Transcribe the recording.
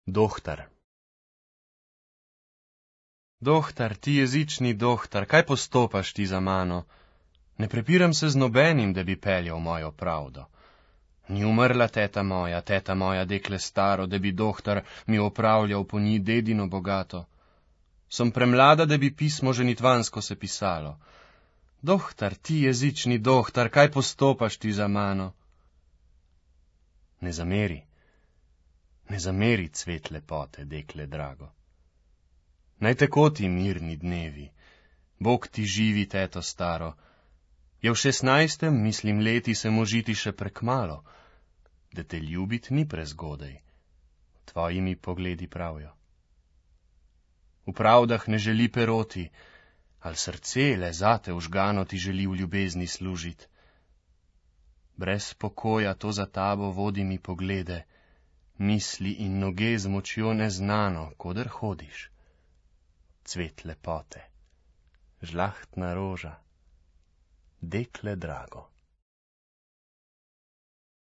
Dohtar. Dohtar, ti jezični dohtar, kaj postopaš ti za mano? Ne prepiram se z nobenim, da bi peljal mojo pravdo. Ni umrla teta moja, dekle staro, da bi dohtar mi opravljal po njih dedino bogato. Sem premlada, da bi pismo ženitvansko se pisalo. Dohtar, ti jezični dohtar, kaj postopaš ti za mano? Ne zameri, cvet lepote, dekle drago. Naj tako ti mirni dnevi, Bog ti živi, teto staro. Je v 16, mislim, leti se možiti še prekmalo, da te ljubit ni prezgodaj, tvoji mi pogledi pravijo. V pravdah ne želi peroti, al srce le zate užgano ti želi v ljubezni služit. Brez pokoja to za tabo vodi mi poglede, misli in noge z močjo neznano, koder hodiš. Cvet lepote, žlahtna roža, dekle drago.